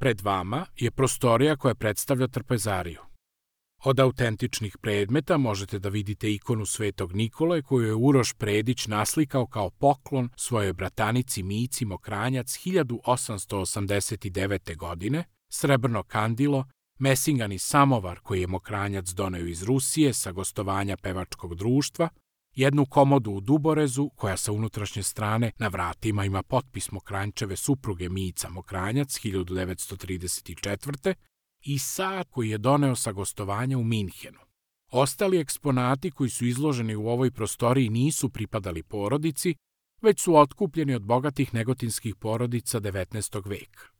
Pred vama je prostorija koja predstavlja trpezariju. Od autentičnih predmeta možete da vidite ikonu Svetog Nikole koju je Uroš Predić naslikao kao poklon svojoj bratanici Mici Mokranjac 1889. godine, srebrno kandilo, mesingani samovar koji je Mokranjac doneo iz Rusije sa gostovanja pevačkog društva, jednu komodu u Duborezu koja sa unutrašnje strane na vratima ima potpis Mokranjčeve supruge Mica Mokranjac 1934. i sat koji je doneo sa gostovanja u Minhenu. Ostali eksponati koji su izloženi u ovoj prostoriji nisu pripadali porodici, već su otkupljeni od bogatih negotinskih porodica 19. veka.